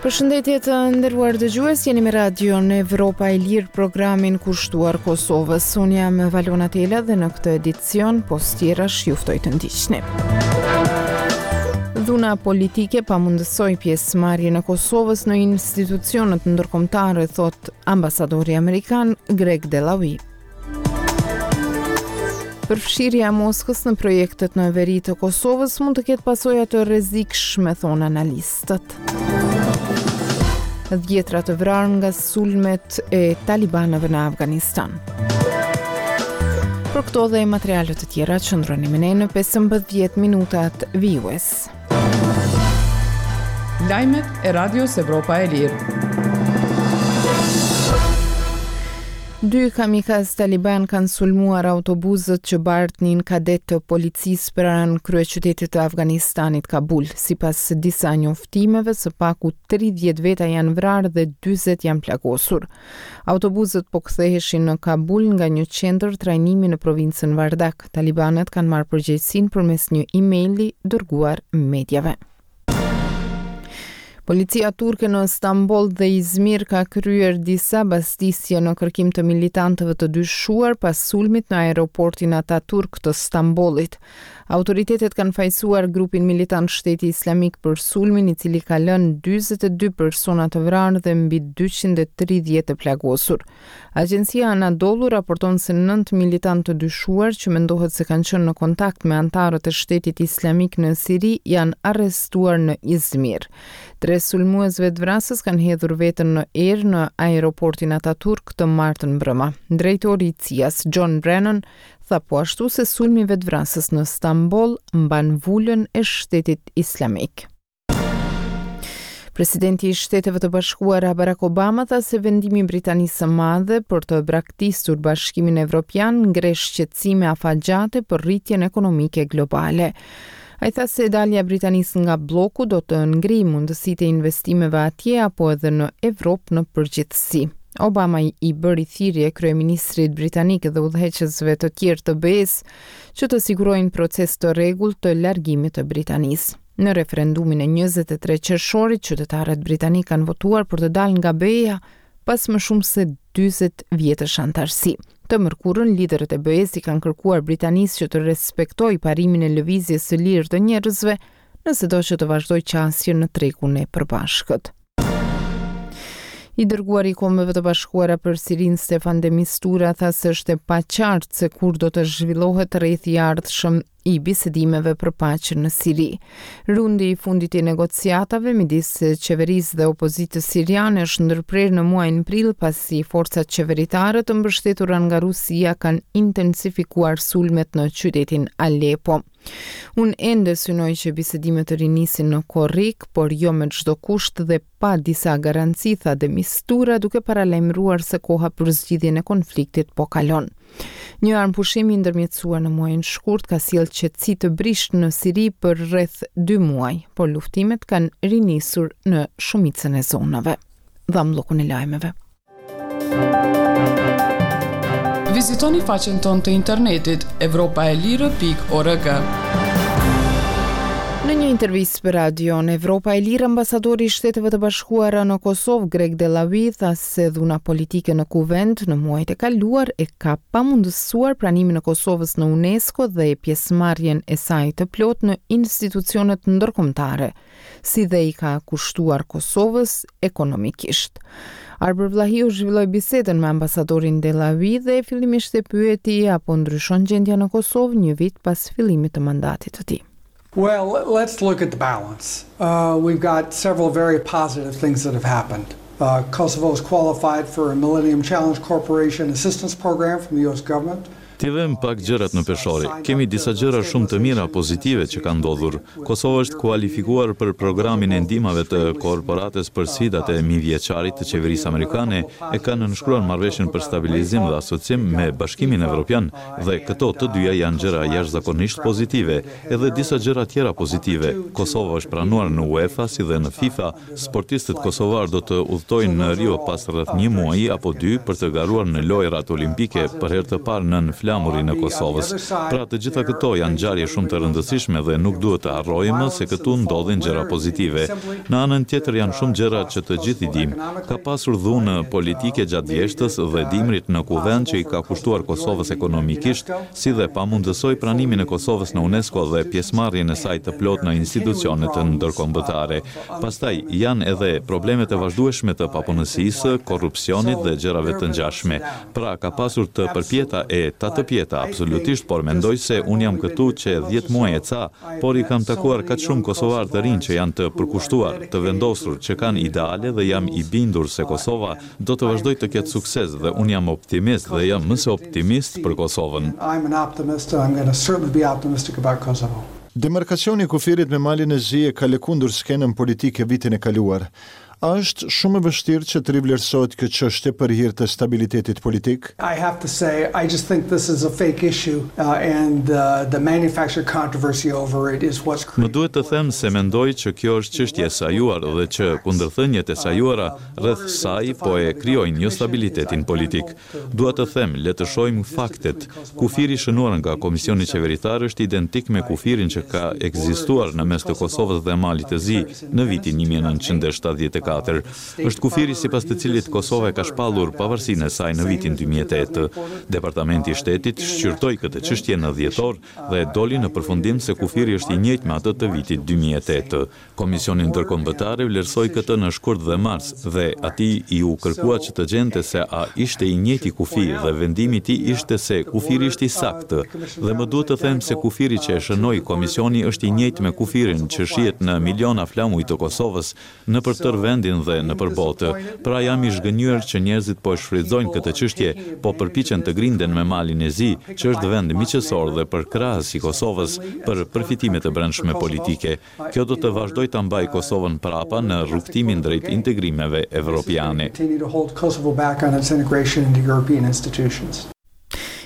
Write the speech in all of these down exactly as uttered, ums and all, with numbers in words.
Përshëndetje të nderuar dëgjues, jeni me Radion Evropa e Lirë, programin kushtuar Kosovës. Unë jam Valona Tela dhe në këtë edicion pos tjerash ju ftoj të ndiqni. Dhuna politike pamundësoi pjesëmarrjen e Kosovës në institucionet ndërkombëtare, thot ambasadori amerikan Greg Delawie. Përfshirja e Moskës në projektet në veri të Kosovës mund të ketë pasoja të rrezikshme, thonë analistët. Dhjetra të vrarë nga sulmet e talibanëve në Afganistan. Për këto dhe materiale të tjera qëndroni me ne në pesëmbëdhjetë minutat vijues. Lajmet e Radios Evropa e Lirë. Dy kamikaz taliban kanë sulmuar autobuzët që bartnin kadet të policisë pranë kryeqytetit të Afganistanit, Kabul. Sipas disa njoftimeve, së paku tridhjetë veta janë vrarë dhe dyzet janë plagosur. Autobuzët po ktheheshin në Kabul nga një qendër trajnimi në provincën Vardak. Talibanët kanë marrë përgjegjësinë përmes një emaili dërguar mediave. Policia turke në Stamboll dhe Izmir ka kryer disa bastisje në kërkim të militantëve të dyshuar pas sulmit në aeroportin Ataturk të Stambollit. Autoritetet kanë fajësuar grupin militant Shteti Islamik për sulmin, i cili ka lënë dyzet e dy persona të vrarë dhe mbi dyqind e tridhjetë të plagosur. Agjencia Anadolu raporton se nëntë militantë të dyshuar që mendohet se kanë qenë në kontakt me anëtarët e Shtetit Islamik në Siri janë arrestuar në Izmir. Tre sulmues vetëvrasës kanë hedhur veten në erë në aeroportin Ataturk të martën mbrëma. Drejtori i C I A-s, John Brennan, tha po ashtu se sulmi vetëvrasës në Stamboll mban vulën e Shtetit Islamik. Presidenti i Shteteve të Bashkuara Barack Obama tha se vendimi i Britanisë së Madhe për të braktisur Bashkimin Evropian ngre shqetësime afatgjate për rritjen ekonomike globale. Ai tha se dalja e Britanisë nga bloku do të ngrijë mundësitë e investimeve atje apo edhe në Evropë në përgjithësi. Obama i bëri thirrje kryeministrit britanik dhe udhëheqësve të tjerë të B E-s që të sigurojnë proces të rregullt të largimit të Britanisë. Në referendumin e njëzet e tre qershorit, qytetarët britanikë kanë votuar për të dalë nga B E-ja pas më shumë se dyzet vjetësh antarësi. Të mërkurën, liderët e B E-s i kanë kërkuar Britanisë që të respektojë parimin e lëvizjes së lirë të njerëzve, nëse do që të vazhdojë qasjen në tregun e përbashkët. I dërguari i Kombeve të Bashkuara për Sirinë Stefan de Mistura tha se është e paqartë se kur do të zhvillohet rrethi i ardhshëm i bisedimeve për paqen në Siri. Rundi i fundit i negociatave midis qeverisë dhe opozitës siriane është ndërprerë në muajin prill pasi forcat qeveritare të mbështetura nga Rusia kanë intensifikuar sulmet në qytetin Aleppo. Unë ende synoj që bisedimet të rinisin në korrik, por jo me çdo kusht dhe pa disa garanci, tha de Mistura, duke paralajmëruar se koha për zgjidhjen e konfliktit po kalon. Një armëpushim i ndërmjetësuar në muajin shkurt ka sjellë qetësi të brishtë në Siri për rreth dy muaj, por luftimet kanë rinisur në shumicën e zonave. Dham bllokun e lajmeve. Vizitoni faqen tonë të internetit evropa e lirë pikë org. Në një intervistë për Radion Evropa e Lirë, ambasadori i Shteteve të Bashkuara në Kosovë, Greg Delawie, tha se dhuna politike në Kuvend në muajt e kaluar e ka pamundësuar pranimin e Kosovës në UNESCO dhe pjesëmarrjen e saj të plotë në institucionet ndërkombëtare, si dhe i ka kushtuar Kosovës ekonomikisht. Arbër Vllahiu zhvilloi bisedën me ambasadorin Delawie dhe fillimisht e pyeti apo ndryshon gjendja në Kosovë një vit pas fillimit të mandatit të tij. Well, let's look at the balance. Uh, we've got several very positive things that have happened. Uh, Kosovo is qualified for a Millennium Challenge Corporation assistance program from the U S government. Ti vëmë pak gjërat në peshore. Kemi disa gjëra shumë të mira pozitive që kanë ndodhur. Kosova është kualifikuar për programin e ndihmave të korporatës për sfidat e mijëvjeçarit të qeverisë amerikane, e ka nënshkruar marrëveshjen për stabilizim dhe asocim me Bashkimin Evropian dhe këto të dyja janë gjëra jashtëzakonisht pozitive, edhe disa gjëra tjera pozitive. Kosova është pranuar në UEFA si dhe në FIFA. Sportistët kosovar do të udhtojnë në Rio pas rreth një muaji apo dy për të garuar në lojërat olimpike për herë të parë nën flamurin flamurin e Kosovës. Pra, të gjitha këto janë ngjarje shumë të rëndësishme dhe nuk duhet të harrojmë se këtu ndodhin gjëra pozitive. Në anën tjetër janë shumë gjëra që të gjithë i dimë. Ka pasur dhunë politike gjatë vjeshtës dhe dimrit në kuvend që i ka kushtuar Kosovës ekonomikisht, si dhe pamundësoi pranimin e Kosovës në UNESCO dhe pjesëmarrjen e saj të plotë në institucionet ndërkombëtare. Pastaj janë edhe problemet e vazhdueshme të papunësisë, korrupsionit dhe gjërave të ngjashme. Pra, ka pasur të përpjeta e tatëpjeta, absolutisht, por mendoj se unë jam këtu që dhjetë muaj e ca, por i kam takuar kaq shumë kosovarë të rinj që janë të përkushtuar, të vendosur, që kanë ideale dhe jam i bindur se Kosova do të vazhdojë të ketë sukses dhe unë jam optimist dhe jam më se optimist për Kosovën. I'm an optimist and I'm going to certainly be optimistic about Kosovo. Demarkacioni i kufirit me Malin e Zi e ka lëkundur skenën politike vitin e kaluar. A është shumë e vështirë që të rivlerësohet kjo çështje për hir të stabilitetit politik? I have to say, I just think this is a fake issue uh, and uh, the manufactured controversy over it is what's Më duhet të them se mendoj që kjo është çështje e sajuar dhe që kundërthëniet e sajuara rreth saj po e krijojnë jo stabilitetin politik. Dua të them, le të shohim faktet. Kufiri i shënuar nga Komisioni Qeveritar është identik me kufirin që ka ekzistuar në mes të Kosovës dhe Malit të Zi në vitin një mijë e nëntëqind e shtatëdhjetë e katër. Është kufiri sipas të cilit Kosova e ka shpallur pavarësinë e saj në vitin dy mijë e tetë. Departamenti i Shtetit shqyrtoi këtë çështje në dhjetor dhe doli në përfundim se kufiri është i njëjtë me atë të vitit dy mijë e tetë. Komisioni Ndërkombëtar e vlerësoi këtë në shkurt dhe mars dhe atij iu kërkua që të gjente se a ishte i njëjti kufi dhe vendimi i tij ishte se kufiri ishte i saktë. Dhe më duhet të them se kufiri që e shënoi komisioni është i njëjtë me kufirin që shihet në miliona flamuj të Kosovës nëpër tërë vendin dhe nëpër botë. Pra, jam i zhgënjyer që njerëzit po e shfrytëzojnë këtë çështje, po përpiqen të grinden me Malin e Zi, që është vend miqësor dhe përkrahës i Kosovës, për përfitime të brendshme politike. Kjo do të vazhdojë ta mbajë Kosovën prapa në rrugëtimin drejt integrimeve evropiane. Continue to hold Kosovo back on its integration into European institutions.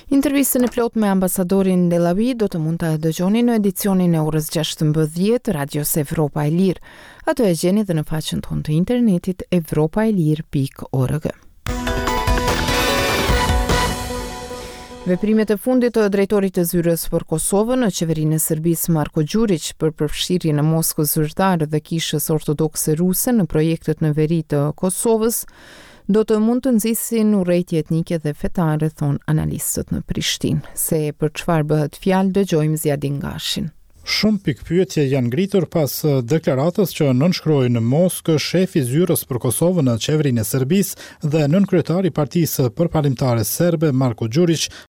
Intervistën e plot me ambasadorin Delawie do të mund të dëgjoni në edicionin e orës gjashtëmbëdhjetë Radios Evropa e Lirë. Ato e gjeni dhe në faqen tonë të internetit evropaelire pikë org. Veprimet e fundit të drejtorit të zyrës për Kosovën në qeverinë e Serbisë, Marko Gjuriq, për përfshirjen e Moskës zyrtare dhe Kishës Ortodokse Ruse në projektet në veri të Kosovës do të mund të nxisin urrejtje etnike dhe fetare, thonë analistët në Prishtinë. Se për çfarë bëhet fjalë, dëgjojmë Ziadin Gashin. Shumë pikëpyetje janë ngritur pas deklaratës që nënshkroi në Moskë shefi i zyrës për Kosovën në qeverinë e Serbisë dhe nënkryetari i Partisë Përparimtare Serbe, Marko Gjuriq.